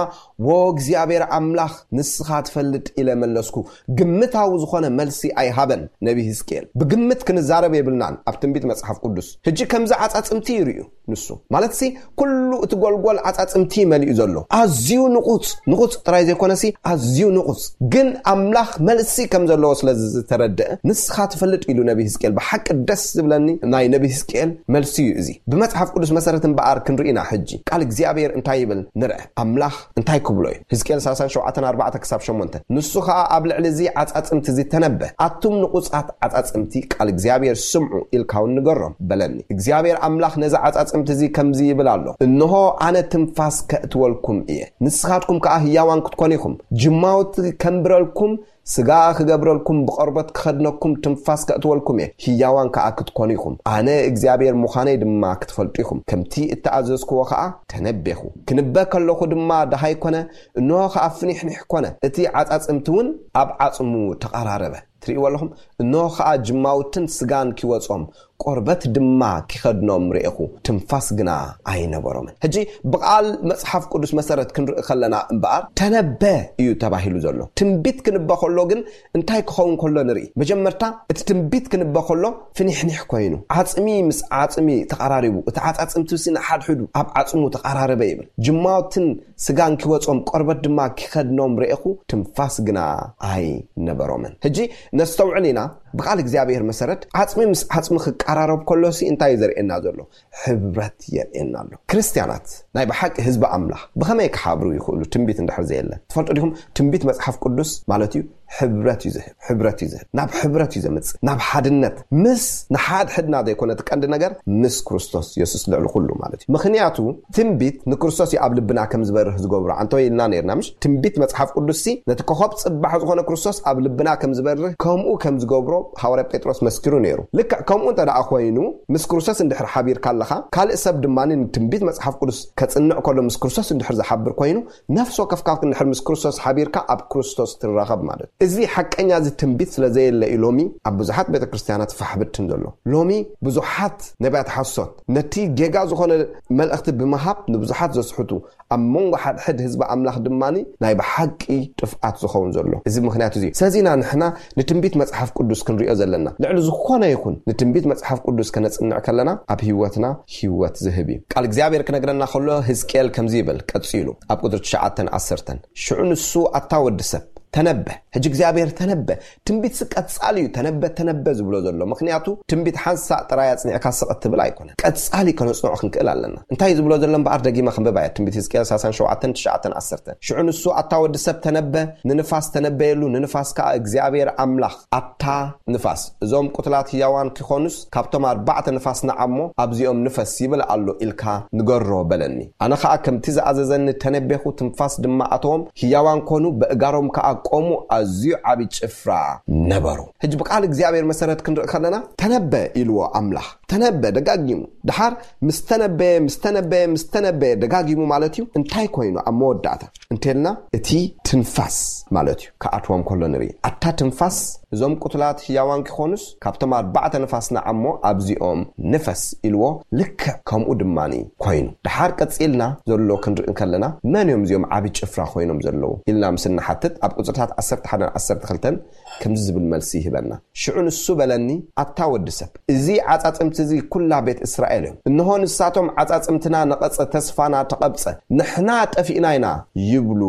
ወ እግዚኣብሔር ኣምላኽ፣ ንስኻ ትፈልጥ ኢለ መለስኩ። ግምታዊ ዝኾነ መልሲ ኣይሃበን ነቢ ህዝቅኤል። ብግምት ክንዛረብ የብልናን ኣብ ትንቢት መጽሓፍ ቅዱስ። ሕጂ ከምዚ ዓጻጽምቲ ይርእዩ ንሱ። ማለትሲ ኩሉ እቲ ጎልጎል ዓጻጽምቲ መሊኡ ዘሎ። ኣዝዩ ንቑጽ፣ ንቑጽ ጥራይ ዘይኮነሲ ኣዝዩ ንቑጽ። ግን ኣምላኽ መልሲ ከም ዘለዎ ስለ ዝተረድአ፣ ንስኻ ትፈልጥ ኢሉ ነቢ ህዝቅኤል። ብሓቂ ደስ ዝብለኒ ናይ ነቢ ህዝቅኤል መልሲ እዩ እዚ። ብመጽሓፍ ቅዱስ መሰረት እምበኣር ክንርኢ ኢና ሕጂ። ቃል እግዚኣብሔር እንታይ ይብል ንርአ። ኣምላኽ እንታይ ክብሎ እዩ? ህዝቅኤል ሰላሳን ሸውዓተን ኣርባዕተ ክሳብ ሸሞንተ። ንሱ ኸኣ ኣብ ልዕሊ እዚ ዓጻጽምቲ እዚ ተነበ። ኣቱም ንቑጻት ዓጻጽምቲ ቃል እግዚኣብሔር ስምዑ ኢልካ እውን ንገሮም በለኒ። እግዚኣብሔር ኣምላኽ ነዚ ዓጻጽምቲ እዚ ከምዚ ይብል ኣሎ። እንሆ ኣነ ትንፋስ ከእትወልኩም እየ። ንስኻትኩም ከኣ ህያዋን ክትኮኑ ኢኹም። ጅማውቲ ከንብረልኩም፣ ስጋ ክገብረልኩም፣ ብቆርበት ክኸድነኩም፣ ትንፋስ ከእትወልኩም እየ። ህያዋን ከኣ ክትኮኑ ኢኹም። ኣነ እግዚኣብሔር ምዃነይ ድማ ክትፈልጡ ኢኹም። ከምቲ እተኣዘዝክዎ ከኣ ተነቤኹ። ክንበ ከለኹ ድማ ደሃይ ኮነ፣ እንሆ ከኣ ፍኒሕኒሕ ኮነ። እቲ ዓጻጽምቲ እውን ኣብ ዓጽሙ ተቐራረበ። ትርእይዎ ኣለኹም? እንሆ ከኣ ጅማውትን ስጋን ኪወጾም፣ ቆርበት ድማ ኪኸድኖም ርኤኹ፣ ትንፋስ ግና ኣይነበሮምን። ሕጂ ብቓል መጽሓፍ ቅዱስ መሰረት ክንርኢ ከለና እምበኣር፣ ተነበ እዩ ተባሂሉ ዘሎ። ትንቢት ክንበ ከሎ ግን እንታይ ክኸውን ከሎ ንርኢ? መጀመርታ እቲ ትንቢት ክንበ ከሎ ፍኒሕኒሕ ኮይኑ፣ ዓጽሚ ምስ ዓጽሚ ተቐራሪቡ፣ እቲ ዓጻጽምቲ ሲ ንሓድሕዱ ኣብ ዓጽሙ ተቐራረበ ይብል። ጅማውትን ስጋን ኪወጾም፣ ቆርበት ድማ ኪኸድኖም ርኤኹ፣ ትንፋስ ግና ኣይነበሮምን። ሕጂ ነስተውዕል ኢና። ብቓል እግዚኣብሔር መሰረት፣ ዓጽሚ ምስ ዓጽሚ ክቀራረብ ከሎሲ እንታይ እዩ ዘርእየና ዘሎ? ሕብረት የርእየና ኣሎ። ክርስትያናት፣ ናይ ብሓቂ ህዝቢ ኣምላኽ፣ ብኸመይ ክሓብሩ ይኽእሉ? ትንቢት እንድሕር ዘየለ። ትፈልጡ ዲኹም? ትንቢት መጽሓፍ ቅዱስ ማለት እዩ፣ ሕብረት እዩ ዝህብ፣ ሕብረት እዩ ዝህብ። ናብ ሕብረት እዩ ዘምጽእ፣ ናብ ሓድነት። ምስ ንሓድሕድና ዘይኮነ እቲ ቀንዲ ነገር፣ ምስ ክርስቶስ የሱስ ልዕሊ ኩሉ ማለት እዩ። ምኽንያቱ ትንቢት ንክርስቶስ እዩ ኣብ ልብና ከም ዝበርህ ዝገብሮ። ኣንተ ኢልና ነርና፣ ምሽ? ትንቢት መጽሓፍ ቅዱስ ሲ ነቲ ኮኸብ ጽባሕ ዝኾነ ክርስቶስ ኣብ ልብና ከም ዝበርህ፣ ከምኡ ከም ዝገብሮ ሃዋርያ ጴጥሮስ መስኪሩ ነይሩ። ልክዕ ከምኡ እንተ ደኣ ኮይኑ፣ ምስ ክርስቶስ እንድሕር ሓቢርካ ኣለኻ፣ ካልእ ሰብ ድማ ንትንቢት መጽሓፍ ቅዱስ ከጽንዕ ከሎ ምስ ክርስቶስ እንድሕር ዝሓብር ኮይኑ፣ ነፍሲ ወከፍካ እንድሕር ምስ ክርስቶስ ሓቢርካ ኣብ ክርስቶስ ትራኸብ ማለት እዩ። እዚ ሓቀኛ እዚ ትንቢት ስለ ዘየለ እዩ ሎሚ ኣብ ብዙሓት ቤተ ክርስቲያናት ፋሕብትን ዘሎ። ሎሚ ብዙሓት ነቢያት ሓሶት ነቲ ጌጋ ዝኾነ መልእኽቲ ብምሃብ ንብዙሓት ዘስሕቱ፣ ኣብ መንጎ ሓድሕድ ህዝቢ ኣምላኽ ድማ ናይ ብሓቂ ጥፍኣት ዝኸውን ዘሎ። እዚ ምኽንያት እዚ እዩ። ስለዚ ኢና ንሕና ንትንቢት መጽሓፍ ቅዱስ ክንሪኦ ዘለና። ልዕሊ ዝኾነ ይኹን ንትንቢት መጽሓፍ ቅዱስ ከነጽንዕ ከለና ኣብ ህይወትና ህይወት ዝህብ እዩ። ቃል እግዚኣብሔር ክነግረና ከሎ ህዝቅኤል ከምዚ ይብል ቀጺሉ ኣብ ቁጽሪ ትሽዓተን ዓሰርተን፣ ሽዑ ንሱ ኣታ ወዲ ሰብ ተነበ። ሕጂ እግዚኣብሔር ተነበ። ትንቢት ሲ ቀጻሊ እዩ። ተነበ፣ ተነበ ዝብሎ ዘሎ። ምኽንያቱ ትንቢት ሓንሳእ ጥራይ ኣጽኒዕካ ስቕ እትብል ኣይኮነን። ቀጻሊ ከነጽንዖ ክንክእል ኣለና። እንታይ እዩ ዝብሎ ዘሎ እምበኣር? ደጊመ ክንብባ እየ። ትንቢት ህዝቅኤል ሰላሳን ሸውዓተን፣ ትሽዓተን፣ ዓሰርተን። ሽዑ ንሱ ኣታ ወዲ ሰብ ተነበ፣ ንንፋስ ተነበየሉ፣ ንንፋስ ከኣ እግዚኣብሔር ኣምላኽ ኣታ ንፋስ፣ እዞም ቁትላት ህያዋን ኪኾኑስ ካብቶም ኣርባዕተ ንፋስ ንዓሞ ኣብዚኦም ንፈስ ይብል ኣሎ ኢልካ ንገሮ በለኒ። ኣነ ኸኣ ከምቲ ዝኣዘዘኒ ተነበኹ፣ ትንፋስ ድማ ኣተዎም፣ ህያዋን ኮኑ፣ በእጋሮም ከኣ ቆሙ፣ ኣዝዩ ዓቢ ጭፍራ ነበሩ። ሕጂ ብቃል እግዚኣብሔር መሰረት ክንርኢ ከለና፣ ተነበ ኢልዎ ኣምላኽ። ተነበ ደጋጊሙ። ድሓር ምስ ተነበየ፣ ምስ ተነበየ፣ ምስ ተነበየ ደጋጊሙ ማለት እዩ። እንታይ ኮይኑ ኣብ መወዳእታ እንተልና፣ እቲ ትንፋስ ማለት እዩ ክኣትዎም ከሎ ንርኢ። ኣታ ትንፋስ፣ እዞም ቁትላት ህያዋን ኪኾኑስ ካብቶም ኣርባዕተ ንፋስ ንዓሞ ኣብዚኦም ንፈስ ኢልዎ፣ ልክዕ ከምኡ ድማኒ ኮይኑ። ድሓር ቀጺልና ዘሎ ክንርኢ እንከለና፣ መን እዮም እዚኦም ዓቢ ጭፍራ ኮይኖም ዘለዉ ኢልና ምስ እንሓትት፣ ኣብ ቁጽርታት ዓሰርተ ሓደን ዓሰርተ ክልተን ከምዚ ዝብል መልሲ ይህበና። ሽዑ ንሱ በለኒ፣ ኣታ ወዲ ሰብ፣ እዚ ዓጻጽምቲ እዚ ኩላ ቤት እስራኤል እዮም። እንሆ ንሳቶም ዓጻጽምትና ነቐጸ፣ ተስፋና ተቐብጸ፣ ንሕና ጠፊእና ኢና ይብሉ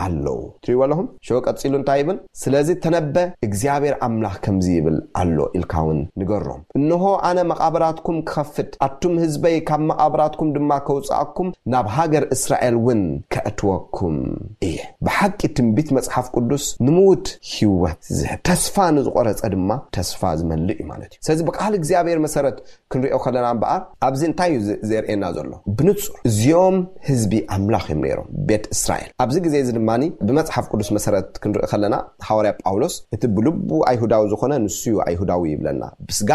ኣለዉ። ትሪእዎ ኣለኹም? ሽዑ ቀጺሉ እንታይ ይብል? ስለዚ ተነበ፣ እግዚኣብሔር ኣምላኽ ከምዚ ይብል ኣሎ ኢልካ እውን ንገሮም። እንሆ ኣነ መቓብራትኩም ክኸፍት፣ ኣቱም ህዝበይ ካብ መቓብራትኩም ድማ ከውጽኣኩም፣ ናብ ሃገር እስራኤል እውን ከእትወኩም እየ። ብሓቂ ትንቢት መጽሓፍ ቅዱስ ንምዉት ህይወት ዝህብ፣ ተስፋ ንዝቖረጸ ድማ ተስፋ ዝመልእ እዩ ማለት እዩ። ስለዚ ብቃል እግዚኣብሔር መሰረት ክንሪኦ ከለና እምበኣር፣ ኣብዚ እንታይ እዩ ዘ-፣ ዘርእየና ዘሎ? ብንጹር እዚኦም ህዝቢ ኣምላኽ እዮም ነይሮም፣ ቤት እስራኤል። ኣብዚ ግዜ እዚ ድማ ብመጽሓፍ ቅዱስ መሰረት ክንርኢ ከለና፣ ሃዋርያ ጳውሎስ እቲ ብልቡ ኣይሁዳዊ ዝኾነ ንሱ እዩ ኣይሁዳዊ ይብለና። ብስጋ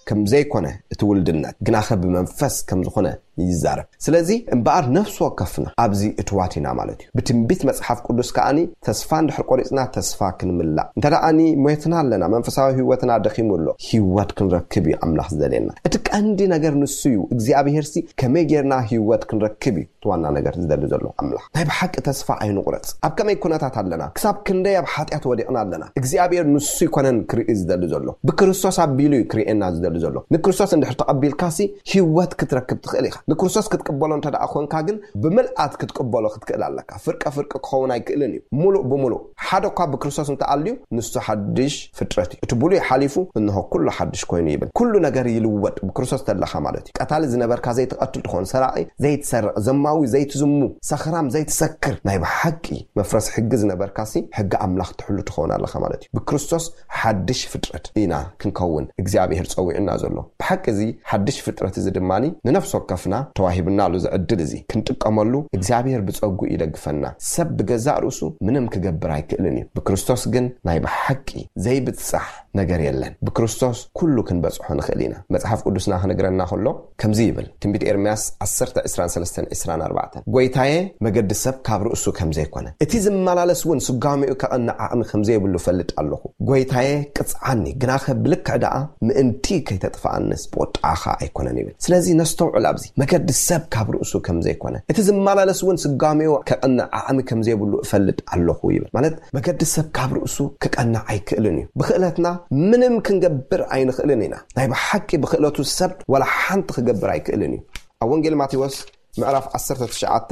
ከም ዘይኮነ፣ እቲ ውልድነት ግናኸ ብመንፈስ ከም ዝኾነ ይዛረብ። ስለዚ እምበኣር ነፍሲ ወከፍና ኣብዚ እትዋት ኢና ማለት እዩ። ብትንቢት መጽሓፍ ቅዱስ ከኣኒ ተስፋ እንድሕር ቆሪጽና ተስፋ ክንምላእ፣ እንተ ደኣኒ ሞትና ኣለና፣ መንፈሳዊ ህይወትና ደኺሙ ኣሎ፣ ህይወት ክንረክብ እዩ ኣምላኽ ዝደልየና። እቲ ቀንዲ ነገር ንሱ እዩ። እግዚኣብሄርሲ ከመይ ጌርና ህይወት ክንረክብ እዩ እቲ ዋና ነገር ዝደሊ ዘሎ ኣምላኽ። ናይ ብሓቂ ተስፋ ኣይንቑረጽ። ኣብ ከመይ ኩነታት ኣለና፣ ክሳብ ክንደይ ኣብ ሓጢኣት ወዲቕና ኣለና፣ እግዚኣብሔር ንሱ ይኮነን ክርኢ ዝደሊ ዘሎ። ብክርስቶስ ኣቢሉ እዩ ክርእየና ዝደሊ ዘሎ። ንክርስቶስ እንድሕር ተቐቢልካሲ ህይወት ክትረክብ ትኽእል ኢኻ። ንክርስቶስ ክትቅበሎ እንተ ደኣ ኮንካ ግን ብምልኣት ክትቅበሎ ክትክእል ኣለካ። ፍርቀ ፍርቂ ክኸውን ኣይክእልን እዩ። ሙሉእ ብምሉእ ሓደ እኳ ብክርስቶስ እንተኣልዩ ንሱ ሓድሽ ፍጥረት እዩ። እቲ ብሉይ ሓሊፉ እንሆ ኩሉ ሓድሽ ኮይኑ ይብል። ኩሉ ነገር ይልወጥ ብክርስቶስ ተለኻ ማለት እዩ። ቀታሊ ዝነበርካ ዘይትቐትል ትኾን፣ ሰራቒ ዘይትሰርቕ፣ ዘማዊ ዘይትዝሙ፣ ሰኽራም ዘይትሰክር፣ ናይ ብሓቂ መፍረስ ሕጊ ዝነበርካሲ ሕጊ ኣምላኽ ትሕሉ ትኸውን ኣለኻ ማለት እዩ። ብክርስቶስ ሓድሽ ፍጥረት ኢና ክንከውን እግዚኣብሔር ጸዊዕና ዘሎ። ብሓቂ እዚ ሓድሽ ፍጥረት እዚ ድማ ንነፍሲ ወከፍና ተዋሂብና ኣሎ እዚ ዕድል እዚ ክንጥቀመሉ እግዚኣብሔር ብጸጉ ይደግፈና። ሰብ ብገዛእ ርእሱ ምንም ክገብር ኣይክእልን እዩ። ብክርስቶስ ግን ናይ ብሓቂ ዘይብጻሕ ነገር የለን። ብክርስቶስ ኩሉ ክንበጽሖ ንኽእል ኢና። መጽሓፍ ቅዱስና ክነግረና ከሎ ከምዚ ይብል። ትንቢት ኤርምያስ ዓሰርተ ዕስራን ሰለስተን ዕስራን ኣርባዕተን፣ ጎይታየ መገዲ ሰብ ካብ ርእሱ ከም ዘይኮነ፣ እቲ ዝመላለስ እውን ስጋሜኡ ከቐንዕ ዓቕሚ ከም ዘይብሉ እፈልጥ ኣለኹ። ጎይታየ ቅጽዓኒ፣ ግናኸ ብልክዕ ደኣ ምእንቲ ከይተጥፍኣንስ ብቁጥዓኻ ኣይኮነን ይብል። ስለዚ ነስተውዕል ኣብዚ። መገዲ ሰብ ካብ ርእሱ ከም ዘይኮነ፣ እቲ ዝመላለስ እውን ስጋሜኡ ከቐንዕ ዓቕሚ ከም ዘይብሉ እፈልጥ ኣለኹ ይብል። ማለት መገዲ ሰብ ካብ ርእሱ ክቀንዕ ኣይክእልን እዩ። ብክእለትና ምንም ክንገብር ኣይንኽእልን ኢና። ናይ ብሓቂ ብክእለቱ ሰብ ዋላ ሓንቲ ክገብር ኣይክእልን እዩ። ኣብ ወንጌል ማቴዎስ ምዕራፍ ዓሰርተ ትሽዓተ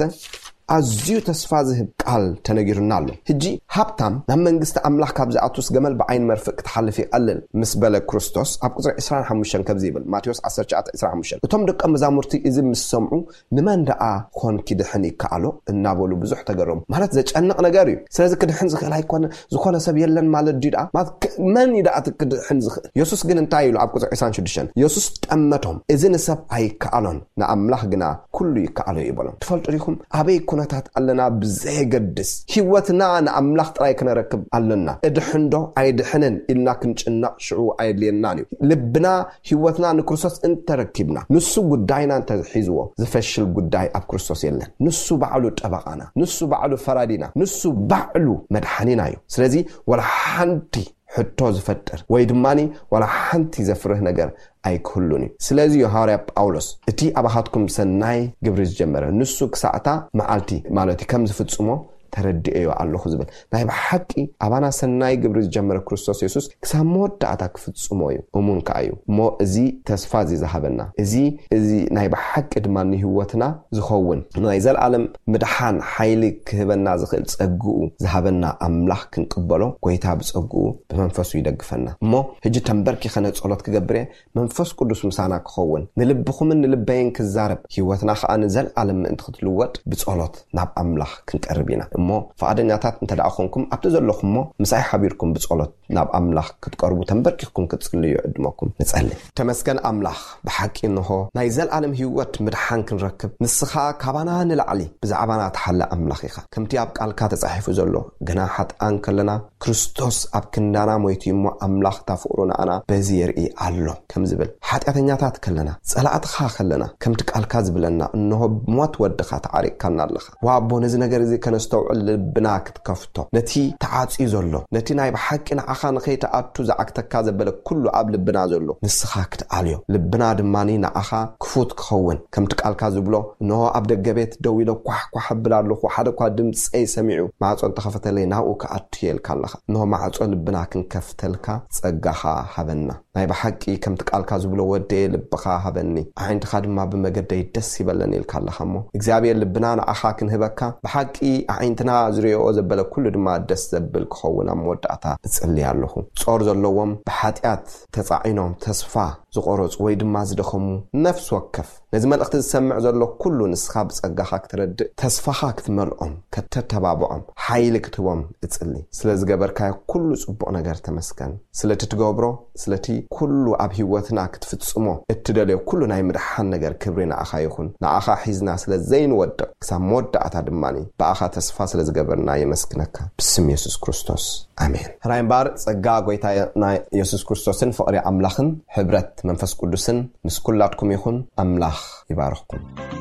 ኣዝዩ ተስፋ ዝህብ ቃል ተነጊሩና ኣሎ። ሕጂ ሃብታም ናብ መንግስቲ ኣምላኽ ካብ ዝኣቱስ ገመል ብዓይኒ መርፍእ ክትሓልፍ ይቐልል ምስ በለ ክርስቶስ ኣብ ቁጽሪ ዕስራን ሓሙሽተን ከምዚ ይብል። ማቴዎስ ዓሰርተ ትሽዓተ ዕስራን ሓሙሽተን፣ እቶም ደቀ መዛሙርቲ እዚ ምስ ሰምዑ ንመን ደኣ ኾን ኪድሕን ይከኣሎ እናበሉ ብዙሕ ተገረሙ። ማለት ዘጨንቕ ነገር እዩ። ስለዚ ክድሕን ዝኽእል ኣይኮነ፣ ዝኾነ ሰብ የለን ማለት ድዩ ደኣ? ማለት ክ-፣ መን እዩ ደኣ እቲ ክድሕን ዝኽእል? የሱስ ግን እንታይ ኢሉ ኣብ ቁጽሪ ዕስራን ሽዱሽተን? የሱስ ጠመቶም፣ እዚ ንሰብ ኣይከኣሎን፣ ንኣምላኽ ግና ኩሉ ይከኣሎ እዩ በሎም። ትፈልጡ ዲኹም? ኣበይ ኩነታት ኣለና ብዘየገድስ ህይወትና ንኣምላኽ ጥራይ ክነረክብ ኣለና። እድሕንዶ ኣይድሕንን ኢልና ክንጭነቕ ሽዑ ኣየድልየናን እዩ። ልብና ህይወትና ንክርስቶስ እንተረኪብና፣ ንሱ ጉዳይና እንተሒዝዎ፣ ዝፈሽል ጉዳይ ኣብ ክርስቶስ የለን። ንሱ ባዕሉ ጠበቓና፣ ንሱ ባዕሉ ፈራዲና፣ ንሱ ባዕሉ መድሓኒና እዩ። ስለዚ ዋላ ሓንቲ ሕቶ ዝፈጥር ወይ ድማ ዋላ ሓንቲ ዘፍርህ ነገር ኣይክህሉን እዩ። ስለዚ እዩ ሃዋርያ ጳውሎስ፣ እቲ ኣባኻትኩም ሰናይ ግብሪ ዝጀመረ ንሱ ክሳዕታ መዓልቲ ማለት እዩ ከም ዝፍጽሞ ተረዲኤዮ ኣለኹ ዝብል። ናይ ብሓቂ ኣባና ሰናይ ግብሪ ዝጀመረ ክርስቶስ የሱስ ክሳብ መወዳእታ ክፍጽሞ እዩ፣ እሙን ከኣ እዩ። እሞ እዚ ተስፋ እዚ ዝሃበና፣ እዚ፣ እዚ ናይ ብሓቂ ድማ ንህይወትና ዝኸውን ናይ ዘለኣለም ምድሓን ሓይሊ ክህበና ዝኽእል ጸግኡ ዝሃበና ኣምላኽ ክንቅበሎ፣ ጎይታ ብጸግኡ ብመንፈሱ ይደግፈና። እሞ ሕጂ ተንበርኪኸ ነጸሎት ክገብር እየ፣ መንፈስ ቅዱስ ምሳና ክኸውን፣ ንልብኹምን ንልበይን ክዛረብ፣ ህይወትና ኸኣ ንዘለኣለም ምእንቲ ክትልወጥ ብጸሎት ናብ ኣምላኽ ክንቀርብ ኢና። እሞ ፍቓደኛታት እንተ ደኣ ኾንኩም፣ ኣብቲ ዘለኹሞ ምሳይ ሓቢርኩም ብጸሎት ናብ ኣምላኽ ክትቀርቡ ተንበርኪኽኩም ክትጽልዩ ይዕድመኩም። ንጸሊ። ተመስገን ኣምላኽ፣ ብሓቂ እንሆ ናይ ዘልኣለም ህይወት ምድሓን ክንረክብ፣ ንስኻ ካባና ንላዕሊ ብዛዕባና ትሓሊ ኣምላኽ ኢኻ። ከምቲ ኣብ ቃልካ ተጻሒፉ ዘሎ፣ ግና ሓጥኣን ከለና፣ ክርስቶስ ኣብ ክንዳና ሞይቱ እሞ ኣምላኽ እታ ፍቕሩ ንኣና በዚ የርኢ ኣሎ ከም ዝብል፣ ሓጢኣተኛታት ከለና፣ ጸላእትኻ ከለና፣ ከምቲ ቃልካ ዝብለና፣ እንሆ ብሞት ወድኻ ተዓሪቕካና ኣለኻ። ዋቦ፣ ነዚ ነገር እዚ ከነስተውዕል ልብና ክትከፍቶ፣ ነቲ ተዓጽዩ ዘሎ፣ ነቲ ናይ ብሓቂ ንዓኻ ንኸይትኣቱ ዝዓግተካ ዘበለ ኩሉ ኣብ ልብና ዘሎ ንስኻ ክትኣልዮ፣ ልብና ድማ ንዓኻ ክፉት ክኸውን፣ ከምቲ ቃልካ ዝብሎ፣ እንሆ ኣብ ደገ ቤት ደው ኢለ ኳሕ ኳሕ እብል ኣለኹ፣ ሓደ እኳ ድምፀይ ሰሚዑ ማዕጾ እንተኸፈተለይ ናብኡ ክኣቱ እየ ኢልካ ኣለኻ። እንሆ ማዕጾ ልብና ክንከፍተልካ ጸጋኻ ሃበና። ናይ ብሓቂ ከምቲ ቃልካ ዝብሎ፣ "ወደየ ልብኻ ሃበኒ፣ ኣዒንትኻ ድማ ብመገደይ ደስ ይበለን" ኢልካ ኣለኻ እሞ፣ እግዚኣብሔር ልብና ንዓኻ ክንህበካ፣ ብሓቂ ኣዒንትና ዝርእዮ ዘበለ ኩሉ ድማ ደስ ዘብል ክኸውን ኣብ መወዳእታ እጽሊ ኣለኹ። ጾር ዘለዎም፣ ብሓጢኣት ተጻዒኖም ተስፋ ዝቖረጹ ወይ ድማ ዝደኸሙ ነፍሲ ከፍ ነዚ መልእኽቲ ዝሰምዕ ዘሎ ኩሉ፣ ንስኻ ብጸጋኻ ክትረድእ፣ ተስፋኻ ክትመልኦም፣ ከተተባብዖም፣ ሓይሊ ክትህቦም እጽሊ። ስለ ዝገበርካዮ ኩሉ ጽቡቕ ነገር ተመስገን። ስለቲ ትገብሮ፣ ስለቲ ኩሉ ኣብ ህይወትና ክትፍጽሞ እትደልዮ ኩሉ ናይ ምድሓን ነገር ክብሪ ንዓኻ ይኹን። ንዓኻ ሒዝና ስለ ዘይንወድቕ፣ ክሳብ መወዳእታ ድማ ብኣኻ ተስፋ ስለ ዝገበርና የመስግነካ። ብስም የሱስ ክርስቶስ፣ ኣሜን። ሕራይ እምበኣር፣ ጸጋ ጎይታና የሱስ ክርስቶስን ፍቕሪ ኣምላኽን ሕብረት መንፈስ ቅዱስን ምስ ኩላትኩም ይኹን። ኣምላኽ ይባርኽኩም።